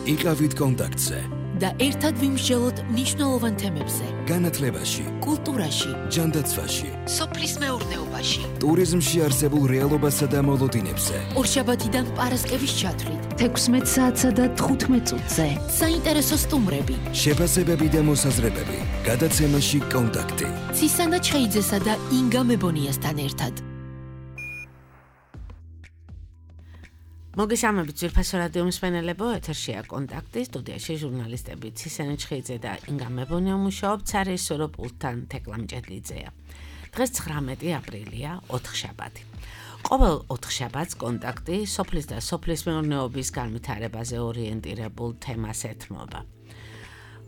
იყავით კონტაქტზე და ერთად ვიმსჯელოთ მნიშვნელოვან თემებზე. განათლებაში, კულტურაში, ჯანდაცვაში, სოფლის მეურნეობაში, ტურიზმში არსებულ რეალობასა და მოლოდინებზე. ორშაბათიდან პარასკევის ჩათვლით 16 საათსა და 15 წუთზე. საინტერესო სტუმრები, შეფასებები და მოსაზრებები. გადაცემაში კონტაქტი. ცისანა ჩხეიძესა და ინგა მებონიასთან ერთად. მოგესალმებით ძვირფასო რადიო მსმენელებო, ეთერშია კონტაქტი, სტუდიაში ჟურნალისტები ცისანა ჩხეიძე და ინგა მებონია მუშაობთ, სარეჟისორო პულტთან თეკლა მჭედლიძეა. დღეს 19 აპრილია, ოთხშაბათი. ყოველ ოთხშაბათს კონტაქტი სოფლის და სოფლის მეურნეობის განვითარებაზე ორიენტირებულ თემას ეთმობა.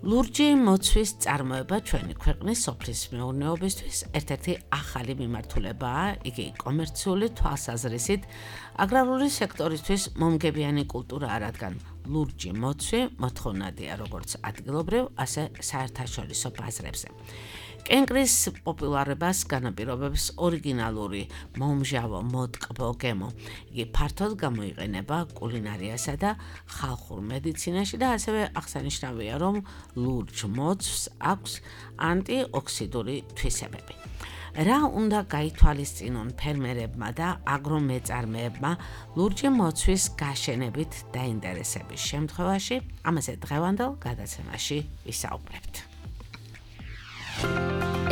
ლურჯი მოცვის წარმოება ჩვენი ქვეყნის სოფლის მეურნეობისთვის ერთ-ერთი ახალი მიმართულებაა, იგი კომერციული თვალსაზრისით აგრარული სექტორისთვის მომგებიანი კულტურაა, რადგან ლურჯი მოცვი მოთხოვნადია როგორც ადგილობრივ, ასე საერთაშორისო ბაზრებზე. კენკრის პოპულარობას განაპირობებს ორიგინალური მომჟავო მოტკბო გემო. იგი ფართოდ გამოიყენება კულინარიასა და ხალხურ მედიცინაში და ასევე აღსანიშნავია, რომ ლურჯ მოცვს აქვს ანტიოქსიდური თვისებები. რა უნდა გაითვალისწინონ ფერმერებმა და აგრომეწარმეებმა ლურჯი მოცვის გაშენებით დაინტერესების შემთხვევაში, ამაზე დღევანდელ გადაცემაში ვისაუბრებთ.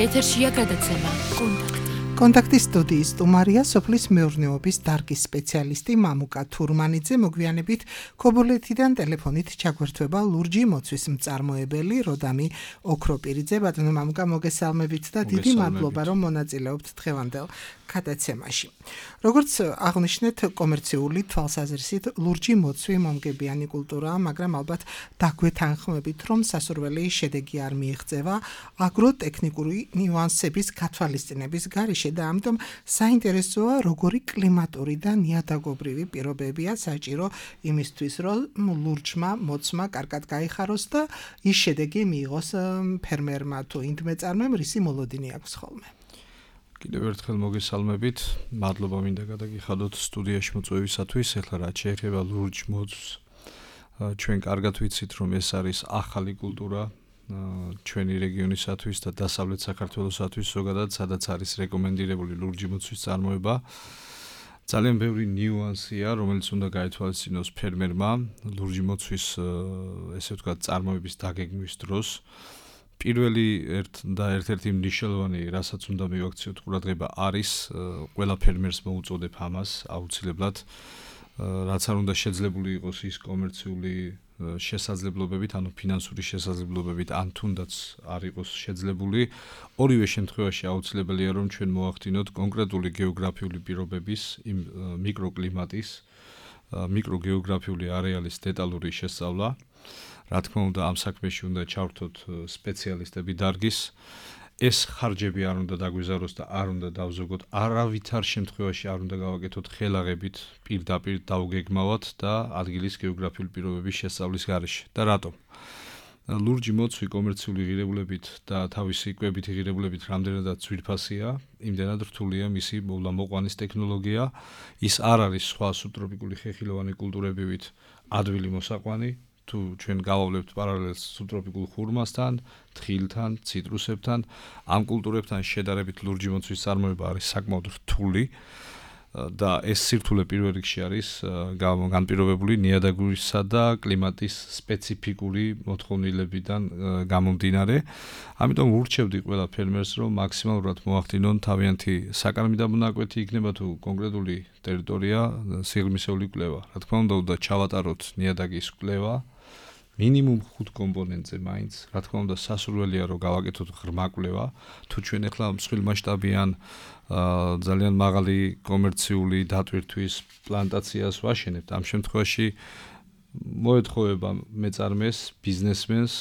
ეთერშია გადაცემა კონტაქტი. კონტაქტის სტუდიის სტუმარია სოფლის მეურნეობის დარგის სპეციალისტი მამუკა თურმანიძე. მოგვიანებით ქობულეთიდან ტელეფონით ჩაგვერთვება ლურჯი მოცვის მწარმოებელი როდამი ოქროპირიძე. ბატონო მამუკა, მოგესალმებით და დიდი მადლობა, რომ მონაწილეობთ დღევანდელ გადაცემაში. როგორც აღნიშნეთ, კომერციული თვალსაზრისით ლურჯი მოცვი მომგებიანი კულტურაა, მაგრამ ალბათ დაგვეთანხმებით, რომ სასურველი შედეგი არ მიიღწევა აგროტექნიკური ნიუანსების გათვალისწინების გარეშე და ამიტომ საინტერესოა, როგორი კლიმატური და ნიადაგობრივი პირობებია საჭირო იმისთვის, რომ ლურჯმა მოცმა კარგად გაიხაროს და ის შედეგი მიიღოს ფერმერმა თუ ინდმეწარმემ, რისი მოლოდინი აქვს ხოლმე. კიდევ ერთხელ მოგესალმებით, მადლობა მინდა გადაგიხადოთ სტუდიაში მოწვევისათვის. ეხლა რაც შეეხება ლურჯ მოცვს, ჩვენ კარგად ვიცით, რომ ეს არის ახალი კულტურა ჩვენი რეგიონისათვის და დასავლეთ საქართველოსათვის ზოგადად, სადაც არის რეკომენდირებული ლურჯი მოცვის წარმოება. ძალიან ბევრი ნიუანსია, რომელიც უნდა გაითვალისწინოს ფერმერმა ლურჯი მოცვის, ესე ვთქვათ, წარმოების დაგეგმვის დროს. პირველი ერთ-ერთი მნიშვნელოვანი, რასაც უნდა მივაქციოთ ყურადღება, არის ყველა ფერმერს მოუწოდებ ამას აუცილებლად, რაც არ უნდა შეძლებული იყოს ის კომერციული შესაძლებლობებით, ანუ ფინანსური შესაძლებლობებით, ან თუნდაც არ იყოს შეძლებული. ორივე შემთხვევაში აუცილებელია, რომ ჩვენ მოახდინოთ კონკრეტული გეოგრაფიული პირობების, იმ მიკროკლიმატის, მიკროგეოგრაფიული არეალის დეტალური შესწავლა. რა თქმა უნდა, ამ საქმეში უნდა ჩავრთოთ სპეციალისტები დარგის. ეს ხარჯები არ უნდა დაგვიზაროს და არ უნდა დავზოგოთ, არავითარ შემთხვევაში არ უნდა გავაკეთოთ ხელაღებით, პირდაპირ დავგეგმავათ და ადგილის გეოგრაფიული პირობების შესწავლის გარეშე. და რატომ? ლურჯი მოცვი კომერციული ღირებულებით და თავისი კვებითი ღირებულებით რამდენადაც ძვირფასია, იმდენად რთულია მისი მოვლა-მოყვანის ტექნოლოგია. ის არ არის სხვა სუბტროპიკული ხეხილოვანი კულტურებივით ადვილი მოსაყვანი. თუ ჩვენ გავავლებთ პარალელს სუბტროპიკულ ხურმასთან, თხილთან, ციტრუსებთან, ამ კულტურებთან შედარებით ლურჯი მოცვის წარმოება არის საკმაოდ რთული და ეს სირთულე პირველ რიგში არის განპირობებული ნიადაგურისა და კლიმატის სპეციფიკური მოთხოვნილებიდან გამომდინარე. ამიტომ ვურჩევდი ყველა ფერმერს, რომ მაქსიმალურად მოახდინონ თავიანთი საკარმი დაბუნაკვეთი, იქნება თუ კონკრეტული ტერიტორია, სიღრმისეული კვლევა. რა თქმა უნდა, ჩავატაროთ ნიადაგის კვლევა. მინიმუმ 5 კომპონენტზე მაინც, რა თქმა უნდა, სასურველია, რომ გავაკეთოთ ღრმა კვლევა. თუ ჩვენ ახლა მსხვილმასშტაბიან ძალიან მაღალი კომერციული დატვირთვის პლანტაციას ვაშენებთ, ამ შემთხვევაში მოეთხოვება მეწარმეს, ბიზნესმენს,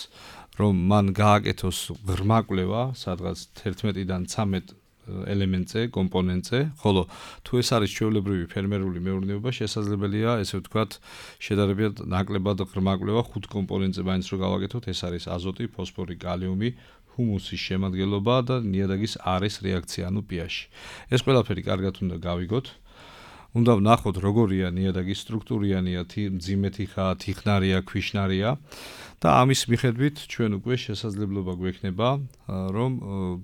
რომ მან გააკეთოს ღრმა კვლევა, სადღაც 11-დან 13 ელემენტზე, კომპონენტზე, ხოლო თუ ეს არის ჩვეულებრივი ფერმერული მეურნეობა, შესაძლებელია, ესე ვთქვათ, შედარებით ნაკლებად ღრმა კვლევა 5 კომპონენტზე მაინც რო გავაკეთოთ, ეს არის აზოტი, ფოსფორი, კალიუმი, ჰუმუსის შემადგენლობა და ნიადაგის არის რეაქცია, ანუ pH. ეს ყველაფერი კარგად უნდა გავიგოთ. უნდა ვნახოთ როგორია ნიადაგის სტრუქტურიანია, მძიმეთი ხაა, თიხნარია, ქვიშნარია და ამის მიხედვით ჩვენ უკვე შესაძლებლობა გვექნება რომ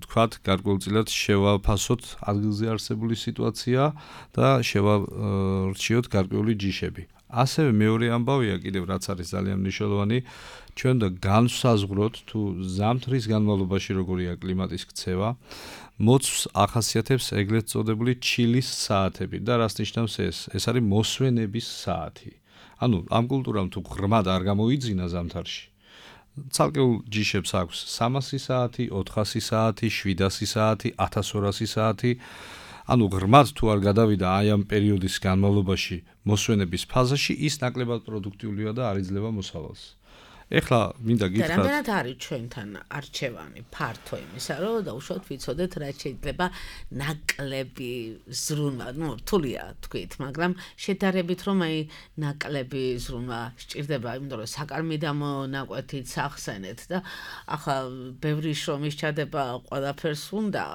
თქვათ გარკვეულწილად შევაფასოთ ადგილზე არსებული სიტუაცია და შევარჩიოთ გარკვეული ჯიშები. ასევე მეორე ამბავია კიდევ რაც არის ძალიან მნიშვნელოვანი, ჩვენ და განსაზღვროთ თუ ზამთრის განმავლობაში როგორია კლიმატის ქცევა, მოცვს ახასიათებს ეგრეთ წოდებული ჩილის საათები და რას ნიშნავს ეს? ეს არის მოსვენების საათი. ანუ ამ კულტურამ თუ ღრმად არ გამოიძინა ზამთარში, ცალკეულ ჯიშებს აქვს 300 საათი, 400 საათი, 700 საათი, 1200 საათი. ანუ ღრმად თუ არ გადავიდა აი ამ პერიოდის განმავლობაში მოსვენების ფაზაში, ის ნაკლებად პროდუქტიულია და არ იძლევა მოსავალს. ეხლა მინდა გითხრათ. რამდენად არის ჩვენთან არჩევანი ფართო იმისა, რომ დაუშვათ ვიცოდეთ რა შეიძლება ნაკლები ზრუნვა, რთულია თქვით, მაგრამ შედარებით რომ აი ნაკლები ზრუნვა სჭირდება, იმიტომ რომ საკარმიდამო ნაკვეთით სახსენეთ და ახლა ბევრი შრომის ჩადება ყველაფერს უნდა,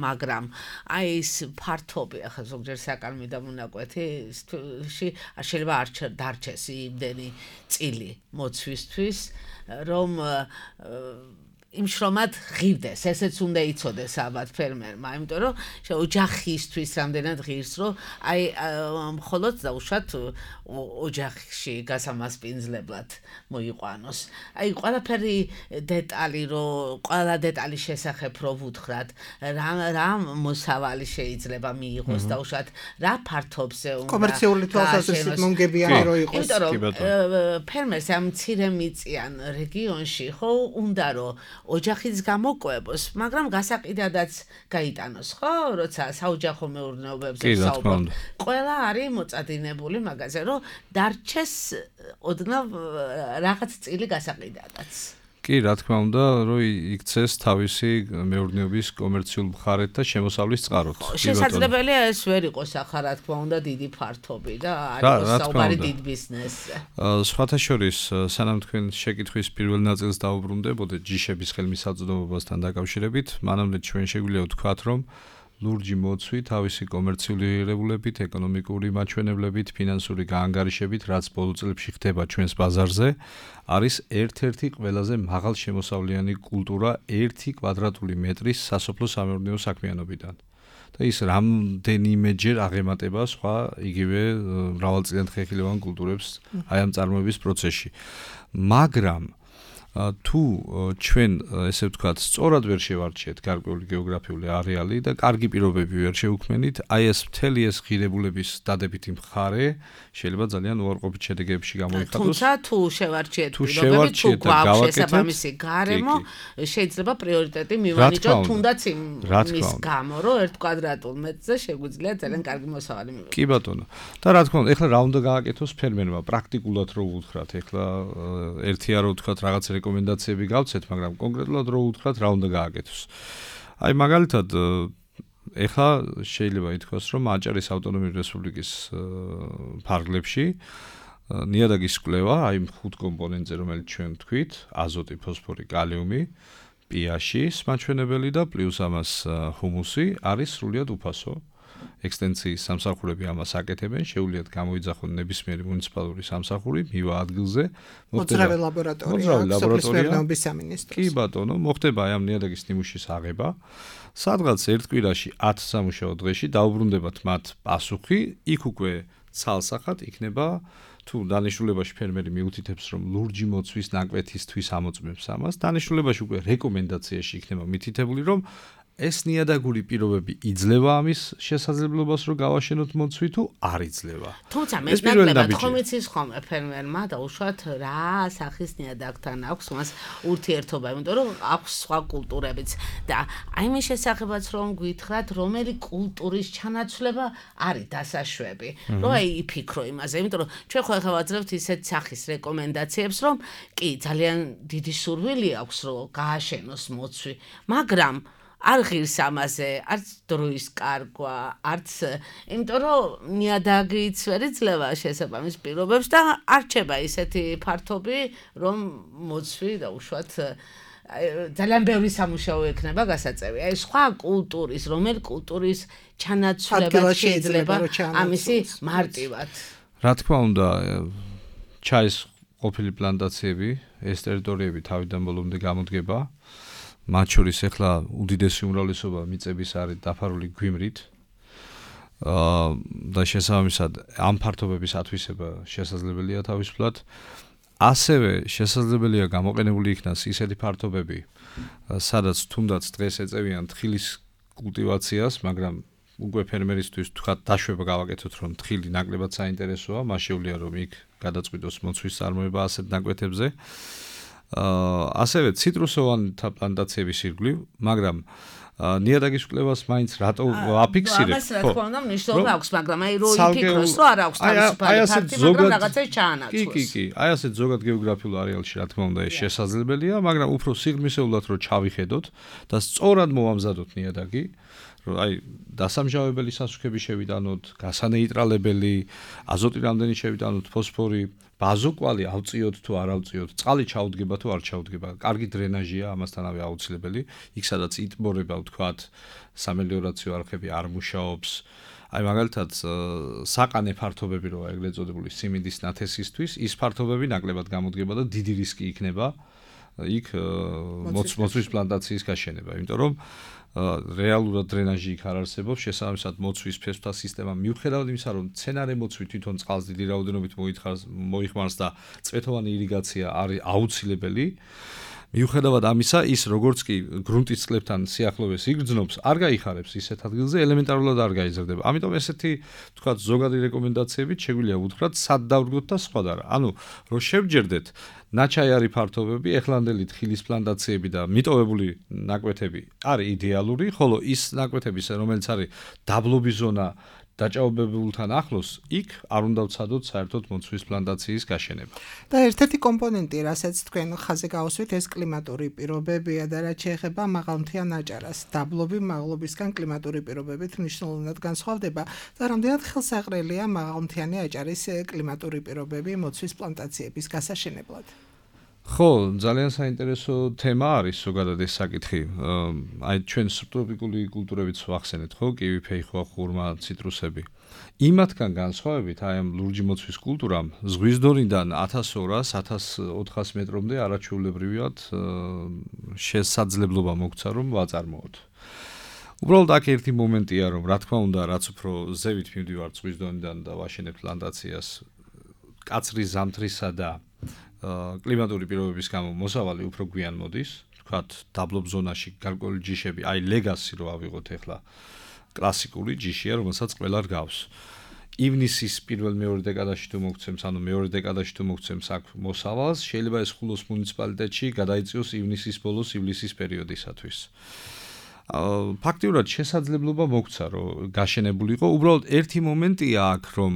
მაგრამ აი ეს ფართობი ახლა ზოგჯერ საკარმიდამო ნაკვეთში შეიძლება არ დარჩეს იმდენი წილი მოცვისთვის რომ იმ შრომად ღირდეს, ესეც უნდა იცოდეს ალბათ ფერმერმა, იმიტომ რომ ოჯახისთვის რამდენად ღირს, რომ აი მხოლოდ დაუშვათ ოჯახში გასამასპინძლებლად მოიყვანოს. აი ყველაფერი დეტალი, რომ ყველა დეტალის შესახებ რო ვუთხრათ, რა მოსავალი შეიძლება მიიღოს დაუშვათ, რა ფართობზე უნდა კომერციული თვალსაზრისით მომგებიანი რო იყოს. იმიტომ რომ ფერმერს ამ მცირემიწიან რეგიონში ხო უნდა რომ ოჯახიც გამოყვებოს, მაგრამ გასაყიდადაც გაიტანოს, ხო? როცა საოჯახო მეურნეობებზე საუბრობთ. ყველა არის მოწადინებული მაგაზე, რომ დარჩეს ოდნავ რაღაც წილი გასაყიდადაც. კი, რა თქმა უნდა, რომ იქცეს თავისი მეურნეობის კომერციულ მხარეთ და შემოსავლის წყაროთ. შესაძლებელია ეს ვერ იყოს ახლა რა თქმა უნდა დიდი ფართობი და არის საუბარი დიდ ბიზნესზე. სხვათა შორის, სანამ თქვენ შეკითხვის პირველ ნაწილს დაუბრუნდებოდეთ ჯიშების ხელმისაწვდომობასთან დაკავშირებით, მანამდე ჩვენ შეგვიძლია ვთქვათ, რომ ლურჯი მოცვი თავისი კომერციული ღირებულებით, ეკონომიკური მაჩვენებლებით, ფინანსური გაანგარიშებით, რაც ბოლო წლებში ხდება ჩვენს ბაზარზე, არის ერთ-ერთი ყველაზე მაღალშემოსავლიანი კულტურა 1 კვადრატული მეტრის სასოფლო სამეურნეო საქმიანობიდან. და ის რამდენიმეჯერ აღემატება სხვა იგივე მრავალწლიანთხეხილოვან კულტურებს აი ამ წარმოების პროცესში. მაგრამ თუ ჩვენ ესე ვთქვათ, სწორად ვერ შევარჩიეთ გარკვეული გეოგრაფიული არეალი და კარგი პირობები ვერ შევქმნით, აი ეს მთელი ეს ღირებულების დადებითი მხარე შეიძლება ძალიან უარყოფით შედეგებში გამოიხატოს. თუმცა თუ შევარჩიეთ პირობები, თუ გვაქვს შესაბამისი გარემო, შეიძლება პრიორიტეტი მივანიჭოთ თუნდაც იმის გამო, რომ 1 კვადრატულ მეტრზე შეგვიძლია ძალიან კარგი მოსავალი მივიღოთ. კი ბატონო. და რა თქმა უნდა, ეხლა რა უნდა გააკეთოს ფერმერმა პრაქტიკულად რო ვუთხრათ, ეხლა ერთია რო ვთქვათ რაღაც რეკომენდაციები გავცეთ, მაგრამ კონკრეტულად რო ვუთხრათ რა უნდა გააკეთოს. აი მაგალითად ეხლა შეიძლება ითქვას, რომ აჭარის ავტონომიური რესპუბლიკის ფარგლებში ნიადაგის კვლევა, აი 5 კომპონენტზე, რომელიც ჩვენ ვთქვით, აზოტი, ფოსფორი, კალიუმი, pH-ის მაჩვენებელი და პლუს ამას ჰუმუსი არის სრულიად უფასო. ექსტენციის სამსახურები ამას აკეთებენ, შეუძლიათ გამოიძახონ ნებისმიერი მუნიციპალური სამსახური, მივა ადგილზე, მოძრავი ლაბორატორია, სოფლის მეურნეობის სამინისტროს. კი ბატონო, მოხდება აი ამ ნიადაგის ნიმუშის აღება. სადღაც ერთ კვირაში 10 სამუშაო დღეში დაუბრუნდებათ მათ პასუხი, იქ უკვე ცალსახად იქნება თუ დანიშნულებაში ფერმერი მიუთითებს, რომ ლურჯი მოცვის ნაკვეთისთვის ამოწმებს ამას, დანიშნულებაში უკვე რეკომენდაციაში იქნება მითითებული, რომ ეს ნიადაგური პირობები იძლევა ამის შესაძლებლობას, რომ გავაშენოთ მოცვი თუ არ იძლევა. თუმცა მე ნაკლებად ხომ იცის ხოლმე ფერმერმა დაუშვათ რა სახის ნიადაგთან აქვს მას ურთიერთობა, იმიტომ რომ აქვს სხვა კულტურებიც და აი მის შესახებაც რომ გითხრათ, რომელი კულტურის ჩანაცვლება არის დასაშვები, რომ აი იფიქრო იმაზე, იმიტომ რომ ჩვენ ხო ახლა ვაძლევთ ისეთ სახის რეკომენდაციებს, რომ კი ძალიან დიდი სურვილი აქვს, რომ გააშენოს მოცვი, მაგრამ არ ღირს ამაზე, არც დროის კარგვა, არც იმიტომ რომ ნიადაგიც ვერ იძლევა შესაბამის პირობებს და არჩება ისეთი ფართობი, რომ მოცვი დაუშვათ ძალიან ბევრი სამუშაო ექნება გასაწევი. აი სხვა კულტურის, რომელ კულტურის ჩანაცვლება შეიძლება ამისი მარტივად. რა თქმა უნდა, ჩაის ყოფილი პლანტაციები, ეს ტერიტორიები თავიდან ბოლომდე გამოდგება. მათ შორის ახლა უდიდესი უმრავლესობა მიწების არის დაფარული გვიმრით. და შესაბამისად ამ ფართობების ათვისება შესაძლებელია თავისუფლად. ასევე შესაძლებელია გამოყენებული იქნას ისეთი ფართობები, სადაც თუნდაც დღეს ეწევიან თხილის კულტივაციას, მაგრამ უკვე ფერმერისთვის თქვა დაშვება გავაკეთოთ, რომ თხილი ნაკლებად საინტერესოა, მას შეუძლია რომ იქ გადაწყვიტოს მოცვის წარმოება ასეთ ნაკვეთებზე. ასევე ციტრუსოვანთა პლანტაციების ირგვლივ, მაგრამ ნიადაგის კვლევას მაინც რატო აფიქსირებ? ამას რა თქმა უნდა მნიშვნელობა აქვს, მაგრამ აი რო იფიქროს, რომ არ აქვს თავისუფალი ფაქტი, მაგრამ რაღაცას ჩაანაცვლოს. კი, აი ასეთ ზოგად გეოგრაფიულ არეალში რა თქმა უნდა ეს შესაძლებელია, მაგრამ უფრო სიღრმისეულად რო ჩავიხედოთ და სწორად მოვამზადოთ ნიადაგი, რომ აი დასამჟავებელი სასუქები შევიტანოთ, გასანეიტრალებელი, აზოტი რამდენი შევიტანოთ, ფოსფორი, ბაზოკვალი ავწიოთ თუ არ ავწიოთ, წყალი ჩაუდგება თუ არ ჩაუდგება, კარგი დრენაჟია ამასთანავე აუცილებელი, იქ სადაც იტბორება ვთქვათ, სამელიორაციო არხები არ მუშაობს. აი მაგალითად საყანე ფართობები როა ეგრეთ წოდებული სიმინდის ნათესისთვის, ის ფართობები ნაკლებად გამოდგება და დიდი რისკი იქნება იქ მოცვის პლანტაციის გაშენება, იმიტომ რომ რეალურად დრენაჟი იქ არ არსებობს, შესაბამისად მოცვის ფესვთა სისტემა მიუხედავად იმისა, რომ მცენარე მოცვი თვითონ წყალს დიდი რაოდენობით მოიხმარს და წვეთოვანი ირიგაცია არის აუცილებელი, მიუხედავად ამისა, ის როგორც კი გრუნტის წყლებთან სიახლოვეს იგრძნობს, არ გაიხარებს ისეთ ადგილზე, ელემენტარულად არ გაიზრდება. ამიტომ ესეთი, თქვათ, ზოგადი რეკომენდაციებით შეგვიძლია უთხრათ, სად დავდგოთ და სხვა და რა. ანუ, რომ შევჯერდეთ ნაჩაიარი ფართობები, ეხლანდელი თხილის პლანტაციები და მიტოვებული ნაკვეთები არის იდეალური, ხოლო ის ნაკვეთები, რომელიც არის დაბლობის ზონა დაჭაობებულთან ახლოს, იქ არ უნდა ვცადოთ საერთოდ მოცვის პლანტაციის გაშენება. და ერთ-ერთი კომპონენტი, რასაც თქვენ ხაზზე გავუსვით, ეს კლიმატური პირობებია და რაც შეეხება მაღალმთიან აჭარას. დაბლობი მაღლობისგან კლიმატური პირობებით მნიშვნელოვნად განსხვავდება და რამდენად ხელსაყრელია მაღალმთიანი აჭარის კლიმატური პირობები მოცვის პლანტაციების გასაშენებლად. ხო, ძალიან საინტერესო თემა არის ზოგადად ეს საკითხი. აი ჩვენ სუბტროპიკული კულტურებიც ვახსენეთ, ხო, კივი, ფეიხვა, ხურმა, ციტრუსები. იმათგან განსხვავებით, აი ამ ლურჯი მოცვის კულტურამ ზღვის დონიდან 1200-1400 მეტრამდე არაჩვეულებრივად შესაძლებლობა მოგცა, რომ ვაწარმოოთ. უბრალოდ აქ ერთი მომენტია, რომ რა თქმა უნდა, რაც უფრო ზევით მივდივართ ზღვის დონიდან და ვაშენებთ პლანტაციას, კაცრი ზამთრისა და კლიმატური პირობების გამო მოსავალი უფრო გვიან მოდის, თქვათ, დაბლობ ზონაში გარკვეული ჯიშები, აი ლეგასი რო ავიღოთ ახლა, კლასიკური ჯიშია, რომელსაც ყველა რგავს. ივნისის პირველ-მეორე დეკადაში თუ მოგცემს, ანუ მეორე დეკადაში თუ მოგცემს აქ მოსავალს, შეიძლება ეს ხულოს მუნიციპალიტეტში გადაიწიოს ივნისის ბოლოს, ივლისის პერიოდისათვის. ფაქტიურად შესაძლებლობა მოგცა, რომ გაშენებულიყო, უბრალოდ ერთი მომენტია აქ, რომ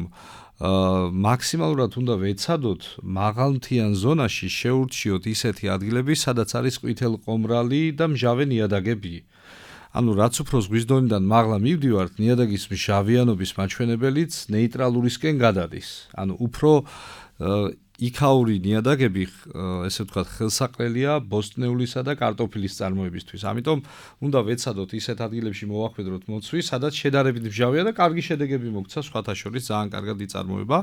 მაქსიმალურად უნდა ვეცადოთ მაღალმთიან ზონაში შეურჩიოთ ისეთი ადგილები, სადაც არის ყვითელყომრალი და მჟავე ნიადაგები. ანუ რაც უფრო ზღვის დონიდან მაღლა მივდივართ, ნიადაგის მჟავიანობის მაჩვენებელიც ნეიტრალურისკენ გადადის. ანუ უფრო იქაური ნიადაგები, ესე ვთქვათ, ხელსაყრელია ბოსტნეულისა და კარტოფილის წარმოებისთვის. ამიტომ უნდა ვეცადოთ ისეთ ადგილებში მოვახვედროთ მოცვი, სადაც შედარებით მჟავია და კარგი შედეგები მოგცა, სხვათა შორის ძალიან კარგად იწარმოება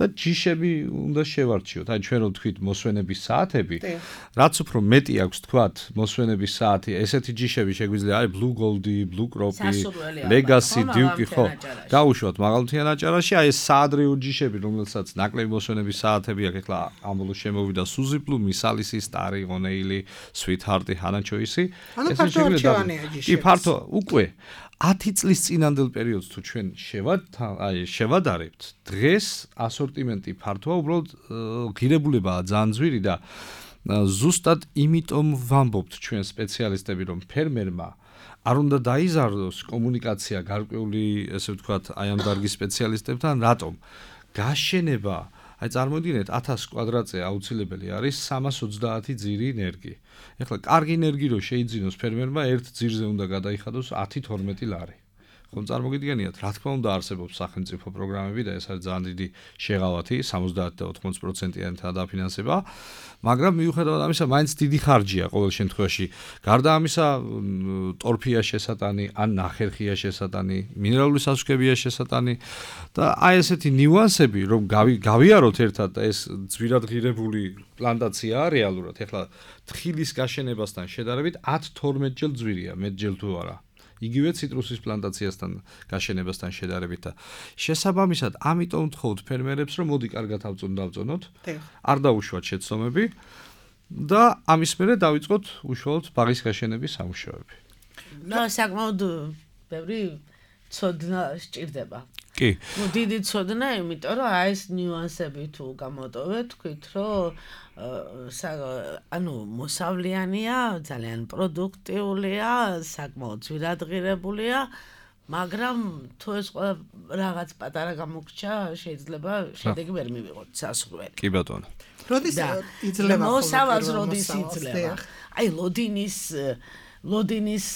და ჯიშები უნდა შევარჩიოთ. აი ჩვენ რო ვთქვით მოსვენების საათები, რაც უფრო მეტი აქვს თქვათ მოსვენების საათი, ესეთი ჯიშები შეგვიძლია არის Blue Gold-ი, Blue Crop-ი, Legacy, Duke-ი, ხო, გაუშვათ მაღალმთიან აჭარაში, აი ეს საადრეო ჯიშები, რომელსაც ნაკლები მოსვენების საათები აქ ახლა ამბოლოს შემოვიდა Suzy Blue, Misalisი, Starry, O'Neil-ი, Sweetheart-ი, Hannah Choice-ი. ეს შეგვიძლია კი, ფართო უკვე 10 წლის წინანდელ პერიოდს თუ ჩვენ შევადარებთ, დღეს ასორტიმენტი ფართოა, უბრალოდ ღირებულებაა ძალიან ძვირი და ზუსტად იმიტომ ვამბობთ ჩვენ სპეციალისტები, რომ ფერმერმა არ უნდა დაიზარდოს კომუნიკაცია გარკვეული, ესე ვთქვათ, აი ამ დარგის სპეციალისტებთან, რატომ? გაშენება, აი წარმოვიდგინეთ 1000 კვადრატზე აუცილებელი არის 330 ძირი ენერგი. ეხლა კარგი ენერგი რო შეიძინოს ფერმერმა, ერთ ძირზე უნდა გადაიხადოს 10-12 ლარი. ხომ წარმოგიდგენიათ, რა თქმა უნდა არსებობს სახელმწიფო პროგრამები და ეს არის ძალიან დიდი შეღავათი, 70 და 80%-იანი დაფინანსება, მაგრამ მიუხედავად ამისა, მაინც დიდი ხარჯია ყოველ შემთხვევაში. გარდა ამისა, ტორფია შესატანი, ან ნახერხია შესატანი, მინერალური სასუქებია შესატანი და აი ესეთი ნიუანსები, რომ გავიაროთ ერთად ეს ძვირად ღირებული პლანტაციაა რეალურად. ეხლა თხილის გაშენებასთან შედარებით 10-12 ჯერ ძვირია, მეტჯერ თუ არა. იგივე ციტრუსის პლანტაციასთან გაშენებასთან შედარებით და შესაბამისად, ამიტომ ვთხოვთ ფერმერებს, რომ მოდი კარგად დავწონოთ, არ დაუშვათ შეცდომები და ამის მერე დავიწყოთ უშუალოდ ბაღის გაშენების სამუშაოები. და საკმაოდ ბევრი ცოდნა სჭირდება. კი. დიდი ცოდნა, იმიტომ რომ აი ეს ნიუანსები თუ გამოტოვეთ, თქვით, რომ ანუ მოსავლიანია, ძალიან პროდუქტიულია, საკმაოდ ძვირადღირებულია, მაგრამ თუ ეს რაღაც პატარა გამოგრჩა, შეიძლება შედეგი ვერ მივიღოთ სასურველი. კი ბატონო. როდის იძლევა მოსავალს როდის იძლევა? აი ლოდინის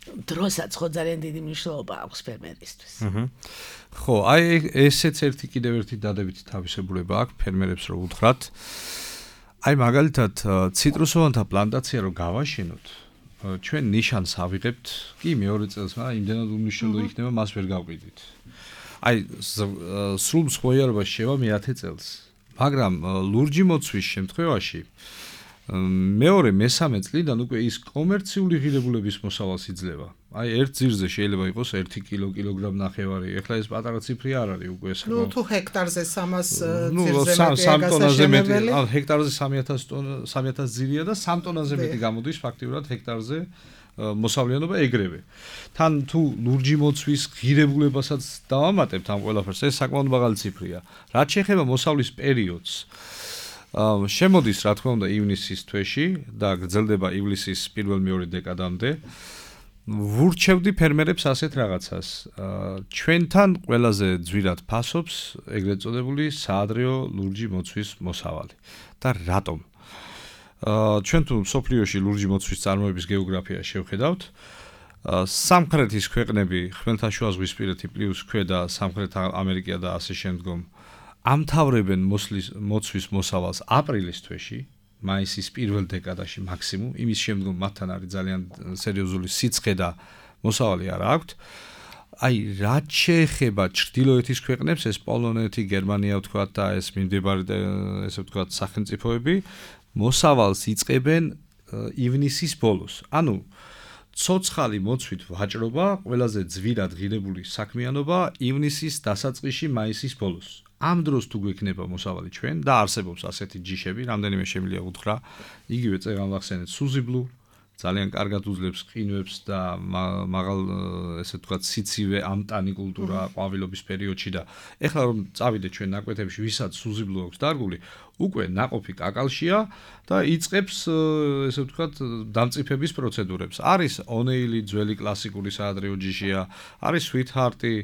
დროსაც ხო ძალიან დიდი მნიშვნელობა აქვს ფერმერისთვის. ხო, აი ესეც კიდევ ერთი დადებითი თავისებურება აქვს ფერმერებს რომ უთხრათ. აი მაგალითად ციტრუსოვანთა პლანტაცია რომ გავაშენოთ, ჩვენ ნიშანს ავიღებთ, კი მეორე წელს, მაგრამ იმდენად უნიშნელო იქნება, მას ვერ გავყიდით. აი სრულ მსხვერპლობაში შევა მე-10 წელს, მაგრამ ლურჯი მოცვის შემთხვევაში მეორე მესამე წლიდან უკვე ის კომერციული ღირებულების მოსავალს იძლევა. აი ერთ ძირზე შეიძლება იყოს 1 კილოგრამ ნახევარი. ეხლა ეს პატარა ციფრი არ არის უკვე ეს. ნუ თუ ჰექტარზე 300 ძირზე 3 ტონაზე მეტი, ჰექტარზე 3000 ძირია და 3 ტონაზე მეტი გამოდის ფაქტიურად ჰექტარზე მოსავლიანობა ეგრევე. თან თუ ლურჯი მოცვის ღირებულებასაც დავამატებთ ამ ყველაფერს, ეს საკმაოდ მაღალი ციფრია. რაც შეეხება მოსავლის პერიოდს, შემოდის რა თქმა უნდა ივნისის თვეში და გრძელდება ივლისის პირველ-მეორე დეკადამდე. ვურჩევდი ფერმერებს ასეთ რაღაცას. ჩვენთან ყველაზე ძვირად ფასობს ეგრეთ წოდებული საადრეო ლურჯი მოცვის მოსავალი. და რატომ? ჩვენ თუ სოფლიოში ლურჯი მოცვის წარმოების გეოგრაფია შევხედავთ, სამხრეთის ქვეყნები, ხმელთაშუაზღვისპირეთი პლუს ქვედა სამხრეთ ამერიკა და ასე შემდგომ ამთავრებენ მოცვის მოსავალს აპრილის თვეში, მაისის პირველ დეკადაში მაქსიმუმ, იმის შემდგომ მათთან არის ძალიან სერიოზული სიცხე და მოსავალი არ აქვთ. აი, რაც შეეხება ჩრდილოეთის ქვეყნებს, ეს პოლონეთი, გერმანია ვთქვათ და ეს მიმდებარე ესე ვთქვათ სახელმწიფოები, მოსავალს იწყებენ ივნისის ბოლოს. ანუ ცოცხალი მოცვით ვაჭრობა, ყველაზე ძვირად ღირებული საქმიანობა ივნისის დასაწყისში, მაისის ბოლოს. ამ დროს თუ გვექნება მოსავალი ჩვენ და არსებობს ასეთი ჯიშები, რამდენიმე შემიძლია უთხრა, იგივე წეგან ვახსენეთ სუზიბლუ, ძალიან კარგად უძლებს ყინვებს და მაღალ ესე ვთქვათ სიცივე ამტანი კულტურა ყვავილობის პერიოდში და ეხლა რომ წავიდეთ ჩვენ ნაკვეთებში, ვისაც სუზიბლუ აქვს დარგული, უკვე ნაყოფი კაკალშია და იწყებს ესე ვთქვათ დამწიფების პროცედურებს. არის ონეილი, ძველი კლასიკური საადრეო ჯიშია, არის სვიტჰარტი,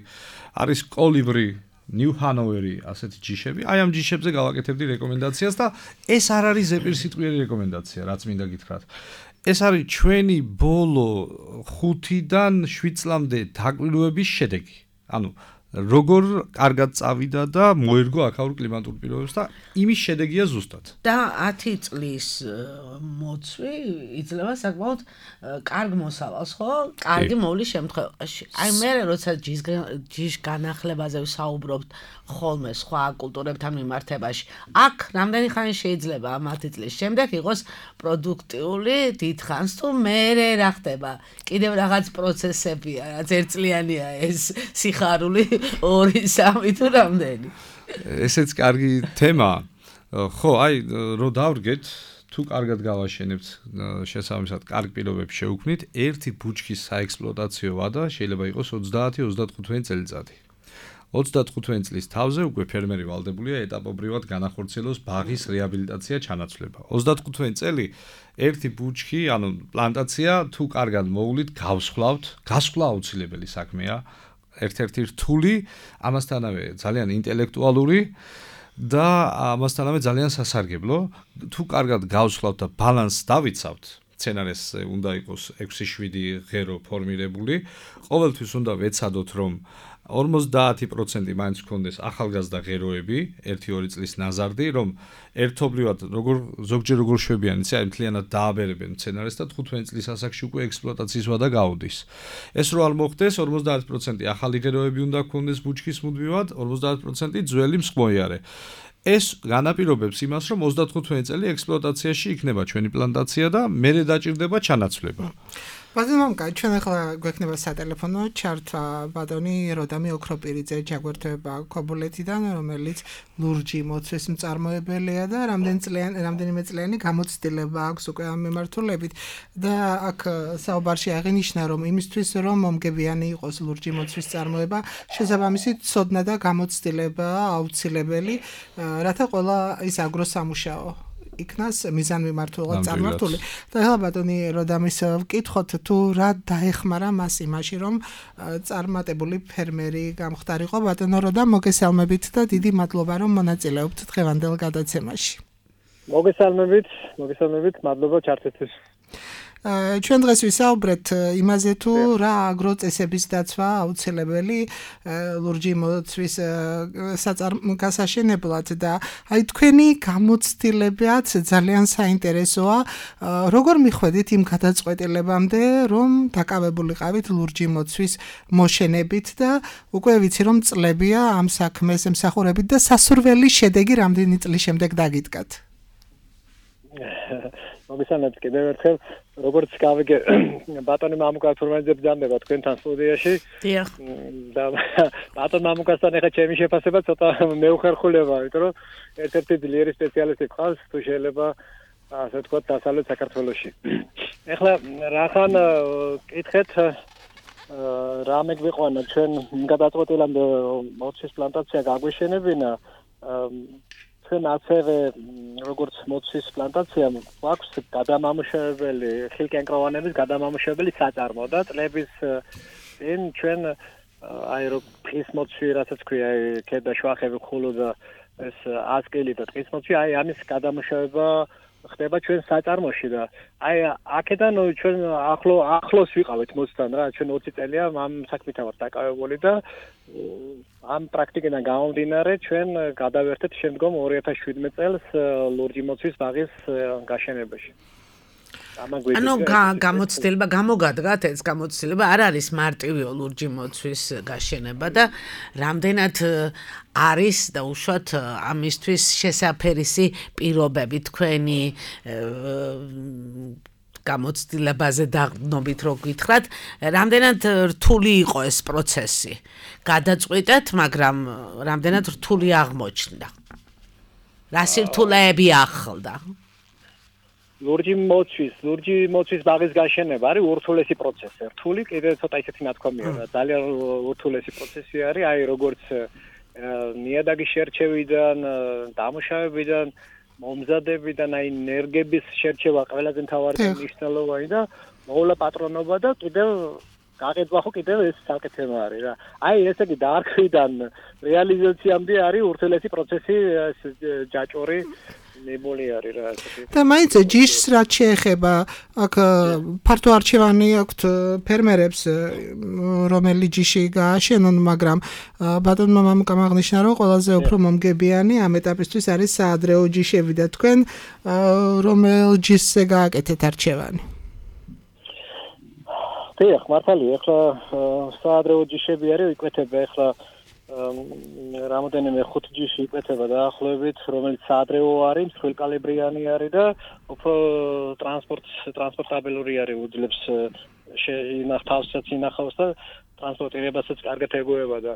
არის კოლიბრი, ნიუ ჰანოვერი, ასეთი ჯიშები. აი ამ ჯიშებზე გავაკეთებდი რეკომენდაციას და ეს არ არის ზეპირსიტყვიერი რეკომენდაცია, რაც მინდა გითხრათ. ეს არის ჩვენი ბოლო 5-დან 7 წლამდე დაკვირვების შედეგი. ანუ როგორ კარგად წავიდა და მოერგო აქაურ კლიმატურ პირობებს და იმის შედეგია ზუსტად. და 10 წლის მოცვი იძლევა საკმაოდ კარგ მოსავალს, ხო? კარგი მოვლის შემთხვევაში. აი მე როცა ჯიშ განახლებაზე ვსაუბრობთ ხოლმე სხვა კულტურებთან მიმართებაში, აქ რამდენი ხანი შეიძლება ამ 10 წლის შემდეგ იყოს პროდუქტიული დიდხანს თუ მერე რა ხდება? კიდევ რაღაც პროცესებია, რაც ერთწლიანია ეს სიხარული 2-3 თუ რამდენი. ესეც კარგი თემაა. ხო, აი რო დავრგეთ, თუ კარგად გავაშენებთ, შესაბამისად კარგ პირობებს შევქმნით, ერთი ბუჩქის საექსპლუატაციო ვადა შეიძლება იყოს 30-35 წელიწადი. 35 წლის თავზე უკვე ფერმერი ვალდებულია ეტაპობრივად განახორციელოს ბაღის რეაბილიტაცია ჩანაცვლება. 35 წელი ერთი ბუჩქი, ანუ პლანტაცია თუ კარგად მოვლით, გავსხვლავთ, გასხლა აუცილებელი საქმეა. ერთ-ერთი რთული, ამასთანავე ძალიან ინტელექტუალური და ამასთანავე ძალიან სასარგებლო. თუ კარგად გავსხლავთ და ბალანსს დავიცავთ, სცენარეს უნდა იყოს 6-7 ღერო ფორმირებული. ყოველთვის უნდა ვეცადოთ, რომ 50% მაინც გქონდეს ახალგაზრდა ღეროები, 1-2 წლის ნაზარდი, რომ ერთობლივად ზოგჯერ როგორ შვებიან, იცი, აი მთლიანად დააბერებენ სცენარეს და 15 წლის ასაკში უკვე ექსპლუატაციის ვადა გაუდის. ეს რო არ მოხდეს, 50% ახალი ღეროები უნდა გქონდეს ბუჩქის მუდმივად, 50% ძველი მსხმოიარე. ეს განაპირობებს იმას, რომ 35 წელი ექსპლუატაციაში იქნება ჩვენი პლანტაცია და მერე დაჭირდება ჩანაცვლება. ბატონო მამუკა, ჩვენ ახლა გვექნება სატელეფონო ჩართვა ბატონი როდამი ოქროპირიძე ჯაგვერთოება ქობულეთიდან, რომელიც ლურჯი მოცვის მწარმოებელია და რამდენიმე წლიანი გამოცდილება აქვს უკვე ამ მიმართულებით და აქ საუბარში აღინიშნა, რომ იმისთვის, რომ მომგებიანი იყოს ლურჯი მოცვის წარმოება, შესაბამისი ცოდნა და გამოცდილება აუცილებელი, რათა ყველა ის აგროსამუშაო იქნას მიზანმიმართულად წარმართული. და ახლა ბატონი როდამის ვკითხოთ თუ რა დაეხმარა მას იმაში, რომ წარმატებული ფერმერი გამხდარიყო. ბატონო როდამ მოგესალმებით და დიდი მადლობა, რომ მონაწილეობთ დღევანდელ გადაცემაში. მოგესალმებით, მადლობა ჩართვისთვის. ჩვენ დღეს ვისაუბრეთ იმაზე თუ რა აგროწესების დაცვა აუცილებელი ლურჯი მოცვის გასაშენებლად და აი თქვენი გამოცდილებაც ძალიან საინტერესოა. როგორ მიხვედით იმ გადაწყვეტილებამდე, რომ დაკავებულიყავით ლურჯი მოცვის მოშენებით და უკვე ვიცი რომ წლებია ამ საქმეს ემსახურებით და სასურველი შედეგი რამდენი წლის შემდეგ დაგიდგათ? მოგესალმებით კიდევ ერთხელ, როგორც გავიგე, ბატონი მამუკა თურმანიძე ბრძანდება თქვენთან სტუდიაში. დიახ. და ბატონ მამუკასთან ახლა ჩემი შეფასება ცოტა მეუხერხულება, იმიტომ რომ ერთ-ერთი ძლიერი სპეციალისტი ყავს, თუ შეიძლება ასე ვთქვათ, დასავლეთ საქართველოში. ახლა რახან კითხეთ რა მეგვიყვანა ჩვენ გადაწყვეტილებამდე მოცვის პლანტაცია გაგვეშენებინა ჩვენ ასევე როგორც მოცვის პლანტაცია გვაქვს გადამამუშავებელი ხილკენკროვანების გადამამუშავებელი საწარმო და წლების წინ ჩვენ აი რო ტყის მოცვი რასაც ქვია ქედა შვახები ხულო და ეს ასკილი და ტყის მოცვი აი ამის გადამუშავება ხდება ჩვენ საწარმოში და აი აქედან ჩვენ ახლოს ვიყავით მოცთან რა ჩვენ 20 წელია ამ საქმით ვართ დაკავებული და ამ პრაქტიკიდან გამომდინარე ჩვენ გადავერთეთ შემდგომ 2017 წელს ლურჯი მოცვის ბაღის გაშენებაში. ანუ გამოცდილება გამოგადგათ ეს გამოცდილება არ არის მარტივი ლურჯი მოცვის გაშენება და რამდენად არის და უშუალოდ ამისთვის შესაფერისი პირობები თქვენი გამოცდილებაზე დაგნობით რო გითხრათ, რამდენად რთული იყო ეს პროცესი. გადაწყვეტეთ, მაგრამ რამდენად რთული აღმოჩნდა. რა სირთულეები ახლდა? ლურჯი მოცვის ბაღის გაშენება არის ურთულესი პროცესი. რთული კიდე ცოტა ისეთი ნათქვამია, ძალიან ურთულესი პროცესი არის, აი როგორც ნიადაგის შერჩევიდან, დამუშავებიდან, მომზადებიდან, აი ნერგების შერჩევა ყველაზე მთავარი და მნიშვნელოვანი და მოვლა პატრონობა და კიდევ გაყიდვა ხო კიდევ ეს საკეთება არის რა. აი ესე იგი დაარქვიდან რეალიზაციამდე არის ურთულესი პროცესი, ჯაჭორი ნებოლი არის რა ასეთი. და მაინც ჯიშს რაც შეეხება, აქ ფართო არჩევანი აქვთ ფერმერებს, რომელი ჯიში გააშენონ, მაგრამ ბატონმა მამუკამ აღნიშნა, რომ ყველაზე უფრო მომგებიანი ამ ეტაპისთვის არის საადრეო ჯიშები და თქვენ რომელ ჯიშზე გააკეთეთ არჩევანი? დიახ, მართალია, ახლა საადრეო ჯიშები არის, იკვეთება ახლა რამოდენიმე 5 ჯიში იკვეთება დაახლოებით, რომელიც საადრეო არის, მსხვილკალიბრიანი არის და უფრო ტრანსპორტაბელური არის, უძლებს თავსაც ინახავს და ტრანსპორტირებასაც კარგად ეგუება და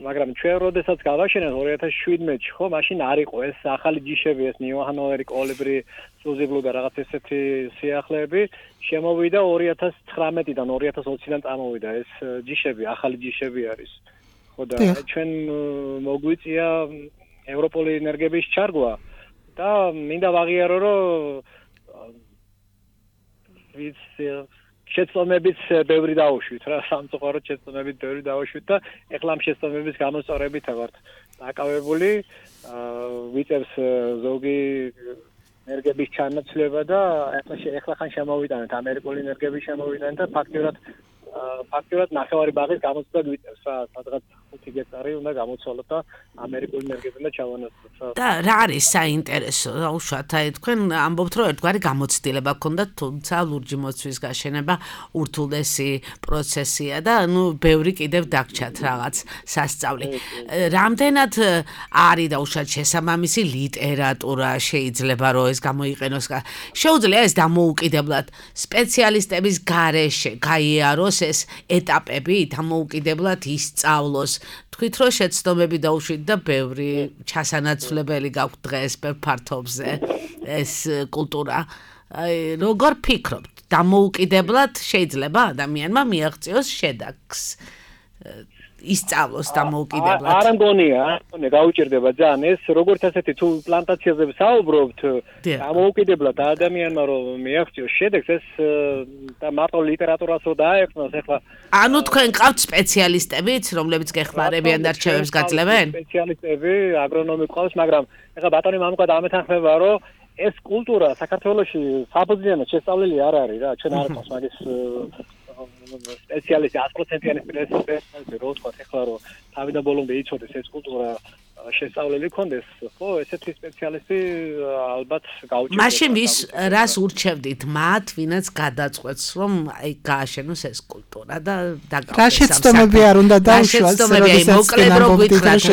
მაგრამ ჩვენ როდესაც გავაშენეთ 2017-ში, ხო, მაშინ არ იყო ეს ახალი ჯიშები, ეს ნიუჰანოვერი, კოლიბრი, სუზიბლუ და რაღაც ესეთი სიახლეები, შემოვიდა 2019-დან 2020-დან წამოვიდა ეს ჯიშები, ახალი ჯიშები არის. ხო და ჩვენ მოგვიწია ევროპული ენერგების ჩარგვა და მინდა ვაღიარო, რომ შეცდომებით ბევრი დაუშვით რა, სამწუხაროდ შეცდომებით ბევრი დაუშვით და ეხლა ამ შეცდომების გამოსწორებით ვართ დაკავებული. ვიწევს ზოგი ენერგიების ჩანაცვლება და ეხლა ხან შემოვიტანეთ ამერიკული ენერგიების შემოვიტანეთ და ფაქტიურად ნახევარი ბაღის გამოცდა გვიწევს რა სადღაც 5 გექტარი უნდა გამოცვალოთ და ამერიკული ენერგიებიდან და ჩავანაცვლოთ და რა არის საინტერესო უშუალოდ აი თქვენ ამბობთ რომ ერთგვარი გამოცდილება გქონდათ თუმცა ლურჯი მოცვის გაშენება ურთულესი პროცესია და ნუ ბევრი კიდევ დაგჭათ რაღაც სასწავლი რამდენად არის და უშუალოდ შესაბამისი ლიტერატურა შეიძლება რომ ეს გამოიყენოს შეუძლია ეს დამოუკიდებლად სპეციალისტების გარეშე გაიაროს ეს ეტაპები დამოუკიდებლად ისწავლოს თქვით რომ შეცდომები დაუშვით და ბევრი ჩასანაცვლებელი გაქვთ დღეს ფართობზე ეს კულტურა როგორ ფიქრობთ დამოუკიდებლად შეიძლება ადამიანმა მიაღწიოს შედაქს ისწავლოს დამოუკიდებლად არ მგონია გაუჭირდება ძალიან ეს როგორც ასეთი თუ პლანტაციაზე საუბრობთ დამოუკიდებლად ადამიანმა რომ მიაღწიოს შედეგს ეს და მარტო ლიტერატურას რო დაეხმოს ეხლა ანუ თქვენ ყავთ სპეციალისტებიც რომლებიც გეხმარებიან და რჩევებს გაძლევენ სპეციალისტები აგრონომი ყავს მაგრამ ეხლა ბატონი მამუკა დამეთანხმება რომ ეს კულტურა საქართველოში საფუძვლიანად შესწავლილი არ არის რა ჩვენ არ ყავს მაგის სპეციალისტი 100%-იანი სპეციალისტი რო თქვა ეხლა რომ თავიდან ბოლომდე იცოდეს ეს კულტურა შესწავლილი კონდეს ხო ესეთი სპეციალისტი ალბათ გაუჭირდება მაშინ ვის რას ურჩევდით მათ ვინაც გადაწყვეტს რომ აი გააშენოს ეს კულტურა და დაგავდეს რა შეცდომები არ უნდა დაუშვას მოკლედ რო გითხრათ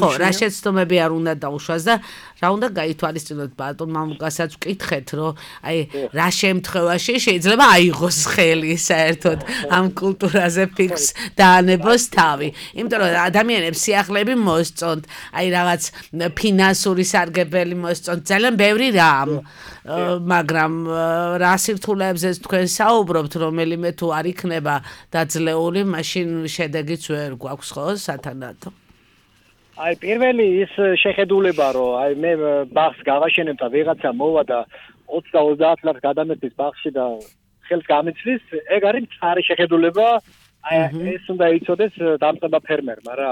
ხო რა შეცდომები არ უნდა დაუშვას და რა უნდა გაითვალისწინოთ ბატონ მამუკასაც ვკითხეთ რომ აი რა შემთხვევაში შეიძლება აიღოს ხელი საერთოდ ამ კულტურაზე ფიქს დაანებოს თავი იმიტომ რომ ადამიანებს სიახლეები მოსწონთ აი რაღაც ფინანსური სარგებელი მოსწონთ ძალიან ბევრი რამ მაგრამ რა სირთულეებზეც თქვენ საუბრობთ რომელიმე თუ არ იქნება დაძლეული მაშინ შედეგიც ვერ გვაქვს ხო სათანადო აი პირველი ის შეხედულება რომ აი მე ბაღს გავაშენებ და ვიღაცა მოვა და 20-30 ლარს გადამეტის ბაღში და ხელს გამიცდის ეგ არის მწარი შეხედულება აი ეს უნდა იცოდეს დამწყება ფერმერმა რა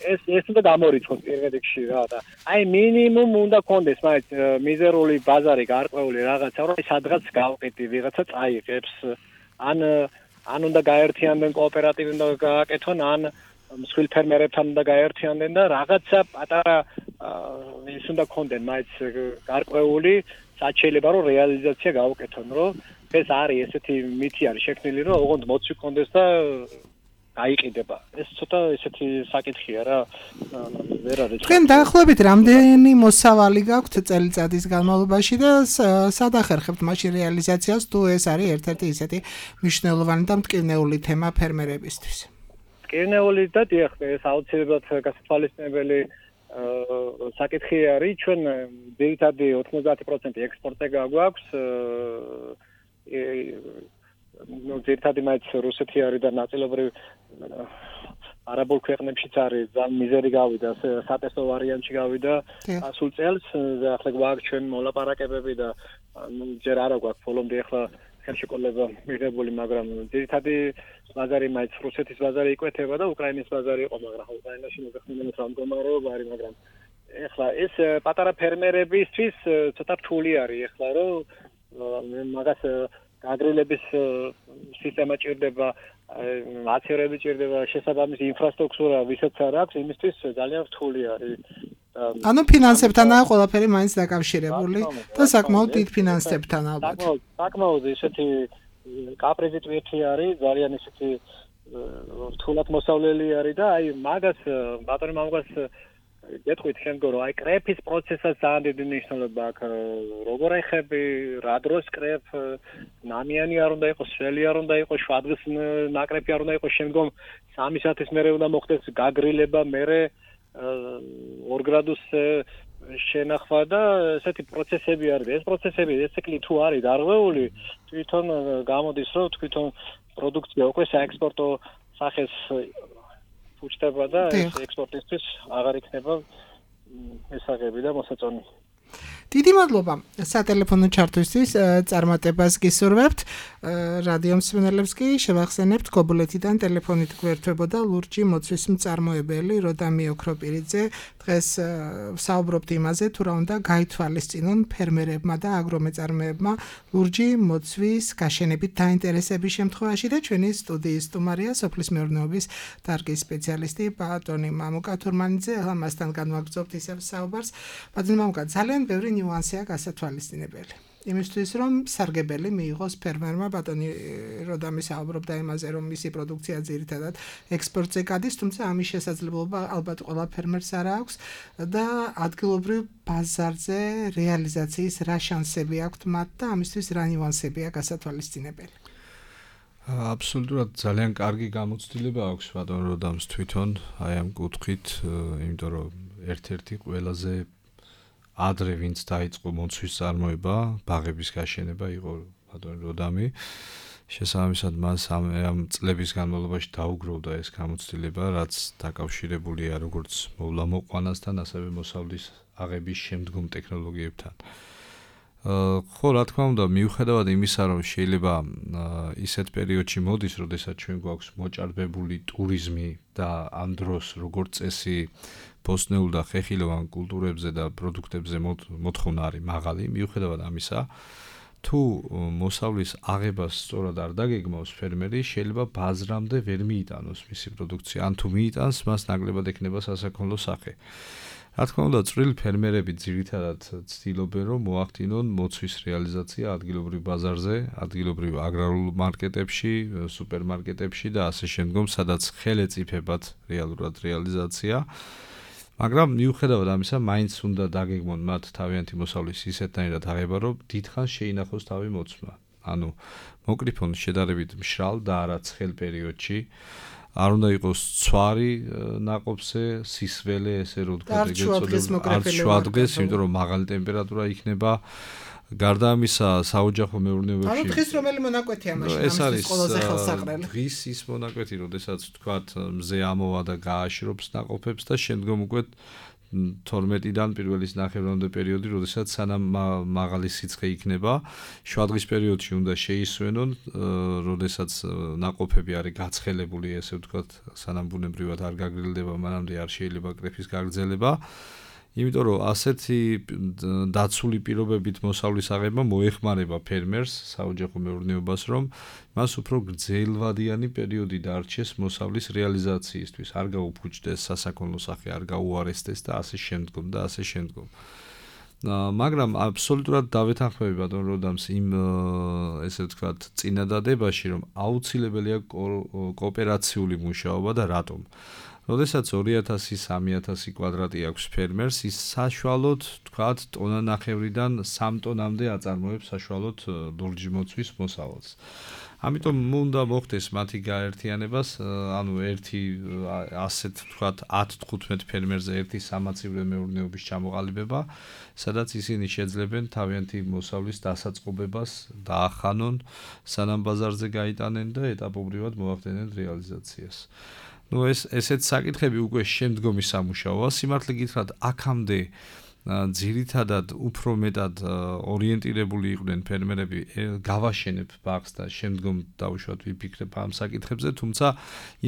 ეს უნდა გამორიცხოს პირველ რიგში რა და აი მინიმუმ უნდა კონდეს მაინც მიზერული ბაზარი გარკვეული რაღაცა რომ სადღაც გავყიდი ვიღაცა წაიღებს ან უნდა გაერთიანდნენ კოოპერატივი უნდა გააკეთონ ან მსხვილ ფერმერებთან უნდა გაერთიანდნენ და რაღაცა პატარა ის უნდა კონდენ მაინც გარკვეული რაც შეიძლება რომ რეალიზაცია გაუკეთონ რომ ეს არის ესეთი მითი არის შექმნილი რომ ოღონდ მოცვი კონდეს და გაიყიდება ეს ცოტა ესეთი საკითხია რა ვერ არის თქვენ დაახლოებით რამდენი მოსავალი გაქვთ წელიწადის განმავლობაში და სად ახერხებთ მაშინ რეალიზაციას თუ ეს არის ერთ-ერთი ისეთი მნიშვნელოვანი და მტკივნეული თემა ფერმერებისთვის მტკივნეული და დიახ ეს აუცილებლად გასათვალისწინებელი საკითხი არის ჩვენ ძირითადი 90% ექსპორტზე გაგვაქვს ну ძირითადად მაინც რუსეთი არის და ნაწილობრივ არაბულ ქვეყნებშიც არის ძალიან მიზერი გავიდა სატესტო ვარიანტში გავიდა ასულ წელს და ახლა გვაქვს ჩვენ მოლაპარაკებები და ჯერ არა გვაქვს ბოლომდე ახლა ხელშეკრულება მიღებული მაგრამ ძირითადი ბაზარი მაინც რუსეთის ბაზარი იკვეთება და უკრაინის ბაზარი იყო მაგრამ უკრაინაში მოგეხსენებათ რა მდგომარეობა არის მაგრამ ახლა ეს პატარა ფერმერებისთვის ცოტა რთული არის ახლა რომ მაგას აგრილების სისტემა ჭირდება, აცერები ჭირდება, შესაბამისი ინფრასტრუქტურა ვისაც არ აქვს, იმისთვის ძალიან რთული არის. ანუ ფინანსებთანაა ყველაფერი მაინც დაკავშირებული და საკმაოდ დიდ ფინანსებთან ალბათ. საკმაოდ ისეთი კაპრიზი ტვირთი არის, ძალიან ისეთი რთულად მოსავლელი არის და აი მაგას ბატონი მამუკას გეტყვით შემდგომ რომ აი კრეფის პროცესსაც ძალიან დიდი მნიშვნელობა აქვს როგორ ეხები რა დროს კრეფ ნამიანი არ უნდა იყოს სველი არ უნდა იყოს შვადღის ნაკრეფი არ უნდა იყოს შემდგომ 3 საათის მერე უნდა მოხდეს გაგრილება მერე 2 გრადუსზე შენახვა და ესეთი პროცესები არის ეს პროცესები ეს ციკლი თუ არის დარღვეული თვითონ გამოდის რომ თვითონ პროდუქცია უკვე საექსპორტო სახეს უჩდება და ეს ექსპორტისთვის აღარ იქნება ესაღები და მოსაწონი. დიდი მადლობა სატელეფონო ჩართვისთვის წარმატებას გისურვებთ რადიო მსმენელებს კი შევახსენებთ გობულეთიდან ტელეფონით გვერდებოდა ლურჯი მოცვის მწარმოებელი როდამი ოქროპირიძე დღეს საუბრობთ იმაზე თუ რა უნდა გაითვალისწინონ ფერმერებმა და აგრომეწარმეებმა ლურჯი მოცვის გაშენებით დაინტერესების შემთხვევაში და ჩვენი სტუდიის სტუმარია სოფლის მეურნეობის დარგის სპეციალისტი ბატონი მამუკა თურმანიძე ახლა მასთან განვაგრძობთ ისევ საუბარს ბატონი მამუკა ძალიან ბევრი ნიუანსია გასათვალისწინებელი იმისთვის რომ სარგებელი მიიღოს ფერმერმა ბატონი როდამი საუბრობდა იმაზე რომ მისი პროდუქცია ძირითადად ექსპორტზე გადის თუმცა ამის შესაძლებლობა ალბათ ყველა ფერმერს არ აქვს და ადგილობრივ ბაზარზე რეალიზაციის რა შანსები აქვთ მათ და ამისთვის რა ნიუანსებია გასათვალისწინებელი აბსოლუტურად ძალიან კარგი გამოცდილება აქვს ბატონ როდამს თვითონ აი ამ კუთხით იმიტომ რომ ერთ-ერთი ყველაზე ადრე ვინც დაიწყო მოცვის წარმოება, ბაღების გაშენება იყო ბატონი როდამი. შესაბამისად მას ამ წლების განმავლობაში დაუგროვდა ეს გამოცდილება, რაც დაკავშირებულია როგორც მოვლა-მოყვანასთან, ასევე მოსავლის აღების შემდგომ ტექნოლოგიებთან. ხო, რა თქმა უნდა, მიუხედავად იმისა, რომ შეიძლება ისეთ პერიოდში მოდის, როდესაც ჩვენ გვაქვს მოჭარბებული ტურიზმი და ამ დროს როგორც წესი ბოსტნეულ და ხეხილოვან კულტურებზე და პროდუქტებზე მოთხოვნა არის მაღალი, მიუხედავად ამისა, თუ მოსავლის აღებას სწორად არ დაგეგმავს ფერმერი, შეიძლება ბაზრამდე ვერ მიიტანოს მისი პროდუქცია, ან თუ მიიტანს, მას ნაკლებად ექნება სასაქონლო სახე. რა თქმა უნდა, წვრილი ფერმერები ძირითადად ცდილობენ, რომ მოახდინონ მოცვის რეალიზაცია ადგილობრივ ბაზარზე, ადგილობრივ აგრარულ მარკეტებში, სუპერმარკეტებში და ასე შემდგომ, სადაც ხელეწიფებად რეალურად რეალიზაცია. მაგრამ მიუხედავად ამისა, მაინც უნდა დაგეგმონ მათ თავიანთი მოსავლის ისეთნაირად აღება, რომ დიდხანს შეინახოს თავი მოცვა. ანუ მოკრიფონ შედარებით მშრალ და არა ცხელ პერიოდში არ უნდა იყოს ცვარი ნაყოფზე, სისველე, ესე რომ ვთქვათ, არ შუადღეს, იმიტომ რომ მაღალი ტემპერატურა იქნება. გარდა ამისა, საოჯახო მეურნეობებში ანუ დღის რომელი მონაკვეთია მაშინ ამისთვის ყველაზე ხელსაყრელი? დღის ის მონაკვეთი, როდესაც ვთქვათ, მზე ამოვა და გააშრობს ნაყოფებს და შემდგომ უკვე 12-დან პირველის ნახევრამდე პერიოდი, როდესაც სანამ მაღალი სიცხე იქნება, შუადღის პერიოდში უნდა შეისვენონ, როდესაც ნაყოფები არის გაცხელებული, ესე ვთქვათ, სანამ ბუნებრივად არ გაგრილდება, მანამდე არ შეიძლება კრეფის გაგრძელება. იმიტომ რომ ასეთი დაცული პირობებით მოსავლის აღება მოეხმარება ფერმერს, საოჯახო მეურნეობას, რომ მას უფრო გრძელვადიანი პერიოდი დარჩეს მოსავლის რეალიზაციისთვის, არ გაუფუჭდეს სასაქონლო სახე, არ გაუარესდეს და ასე შემდგომ და ასე შემდგომ. მაგრამ აბსოლუტურად დავეთანხმები ბატონ როდამს იმ ესე ვთქვათ წინადადებაში, რომ აუცილებელია კოოპერაციული მუშაობა და რატომ? როდესაც 2000-3000 კვადრატი აქვს ფერმერს, ის საშუალოდ, თქვათ, ტონა ნახევრიდან 3 ტონამდე აწარმოებს საშუალოდ ლურჯი მოცვის მოსავალს. ამიტომ უნდა მოხდეს მათი გაერთიანებას, ანუ ერთი ასეთ, თქვათ, 10-15 ფერმერზე ერთი სამაცივრო მეურნეობის ჩამოყალიბება, სადაც ისინი შეძლებენ თავიანთი მოსავლის დასაწყობებას, დაახანონ, სანამ ბაზარზე გაიტანენ და ეტაპობრივად მოახდენენ რეალიზაციას. Ну ესეთ საკითხები უკვე შემდგომი სამუშაოა, სიმართლე გითხრათ, აქამდე ძირითადად უფრო მეტად ორიენტირებული იყვნენ ფერმერები, გავაშენებ ბაღს და შემდგომ დავუშვათ ვიფიქრებ ამ საკითხებზე, თუმცა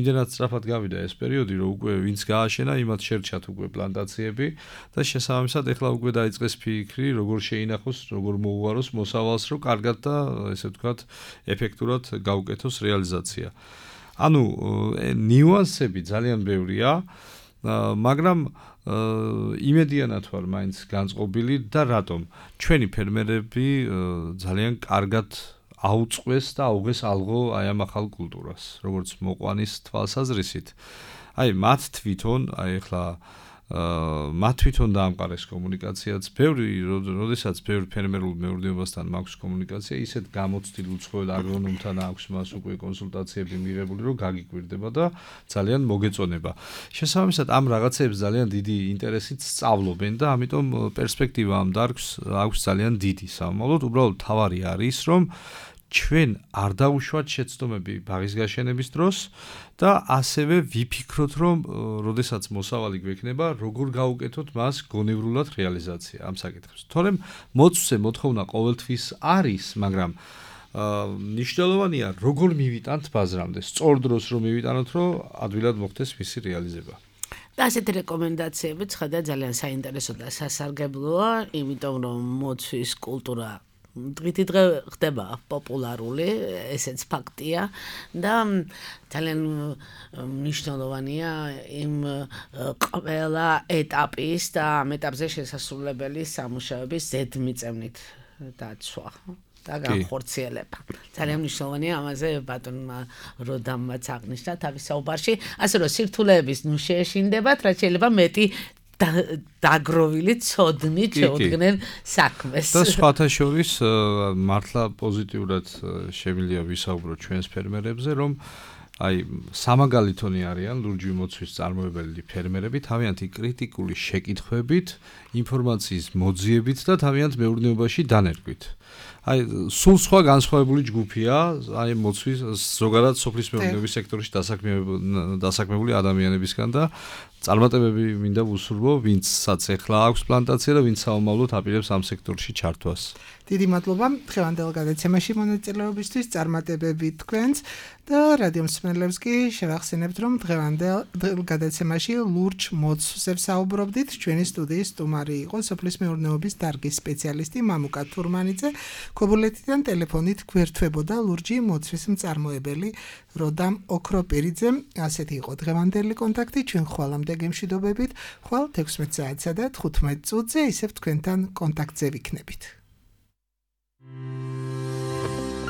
იმდენად სწრაფად გავიდა ეს პერიოდი, რომ უკვე ვინც გააშენა, იმათ შერჩათ უკვე პლანტაციები და შესაბამისად ეხლა უკვე დაიწყეს ფიქრი, როგორ შეინახოს, როგორ მოუვაროს მოსავალს, რომ კარგად და ესე ვთქვათ, ეფექტურად გაუკეთოს რეალიზაცია. ანუ ნიუანსები ძალიან ბევრია, მაგრამ იმედიანად ვარ მაინც განწყობილი და რატომ? ჩვენი ფერმერები ძალიან კარგად აუწყვეს და აუღეს ალღო აი ამ ახალ კულტურას, როგორც მოყვანის თვალსაზრისით. აი მათ თვითონ, აი ახლა მათ თვითონ დაამყარეს კომუნიკაციაც. როდესაც ბევრი ფერმერულ მეურნეობასთან მაქვს კომუნიკაცია, ისეთ გამოცდილ უცხოელ აგრონომთან აქვს მას უკვე კონსულტაციები მიღებული, რომ გაგიკვირდება და ძალიან მოგეწონება. შესაბამისად, ამ რაღაცებს ძალიან დიდი ინტერესით სწავლობენ და ამიტომ პერსპექტივა ამ დარგს აქვს ძალიან დიდი. სამომავლოდ, უბრალოდ თავარი არის, რომ ჩვენ არ დაუშვათ შეცდომები ბაღის გაშენების დროს და ასევე ვიფიქროთ, რომ როდესაც მოსავალი გვექნება, როგორ გავუკეთოთ მას გონევრულად რეალიზაცია ამ საკითხებს. თორემ მოცვზე მოთხოვნა ყოველთვის არის, მაგრამ ნიშნულოვანია, როგორ მივიტანთ ბაზრამდე, სწორ დროს რომ მივიტანოთ, რომ ადვილად მოხდეს მისი რეალიზება. და ასეთი რეკომენდაციები ცხადა ძალიან საინტერესო და სასარგებლოა, იმიტომ რომ მოცვის კულტურა დღითიდღე ხდება პოპულარული, ესეც ფაქტია და ძალიან მნიშვნელოვანია იმ ყველა ეტაპის და ამ ეტაპზე შესასრულებელი სამუშაოების ზედმიწევნით დაცვა და განხორციელება. ძალიან მნიშვნელოვანია ამაზე ბატონმა როდამაც აღნიშნა თავის საუბარში, ასე რომ სირთულეების ნუ შეეშინდებათ, რაც შეიძლება მეტი დაგროვილი ცოდნით შეუდგნენ საქმეს. და სხვათა შორის მართლა პოზიტიურად შემიძლია ვისაუბროთ ჩვენს ფერმერებზე, რომ აი სამაგალითონი არიან ლურჯი მოცვის წარმოებელი ფერმერები თავიანთი კრიტიკული შეკითხვებით, ინფორმაციის მოძიებით და თავიანთ მეურნეობაში დანერგვით. აი სულ სხვა განსხვავებული ჯგუფია, აი მოცვის ზოგადად სოფლის მეურნეობის სექტორში დასაქმებული ადამიანებისგან და წარმატებები მინდა ვუსურვო, ვინცაც ახლა აქვს პლანტაცია და ვინც საომავლოდ აპირებს ამ სექტორში ჩართვას. დიდი მადლობა დღევანდელ გადაცემაში მონაწილეობისთვის, წარმატებები თქვენს და რადიო მსმენელებს კი შევახსენებთ, რომ დღევანდელ გადაცემაში ლურჯ მოცვზე ვსაუბრობდით. ჩვენი სტუდიის სტუმარი იყო სოფლის მეურნეობის დარგის სპეციალისტი მამუკა თურმანიძე. ქობულეთიდან ტელეფონით გვერდთვებოდა ლურჯი მოცვის მწარმოებელი როდამ ოქროპირიძე. ასეთი იყო დღევანდელი კონტაქტი. ჩვენ ხვალამდე გემშვიდობებით. ხვალ 16 საათსა და 15 წუთზე ისევ თქვენთან კონტაქტზე ვიქნებით.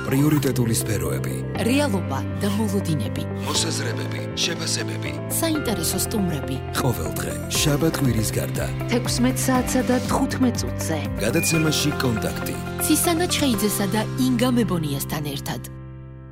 პრიორიტეტული სფეროები, რეალობა და მოლოდინები, მოსაზრებები, შეფასებები, საინტერესო სტუმრები. ყოველდღე შაბათ-კვირის გარდა 16 საათსა და 15 წუთზე. გადაცემაში კონტაქტი. ცისანა ჩხეიძესა და ინგა მებონიასთან ერთად.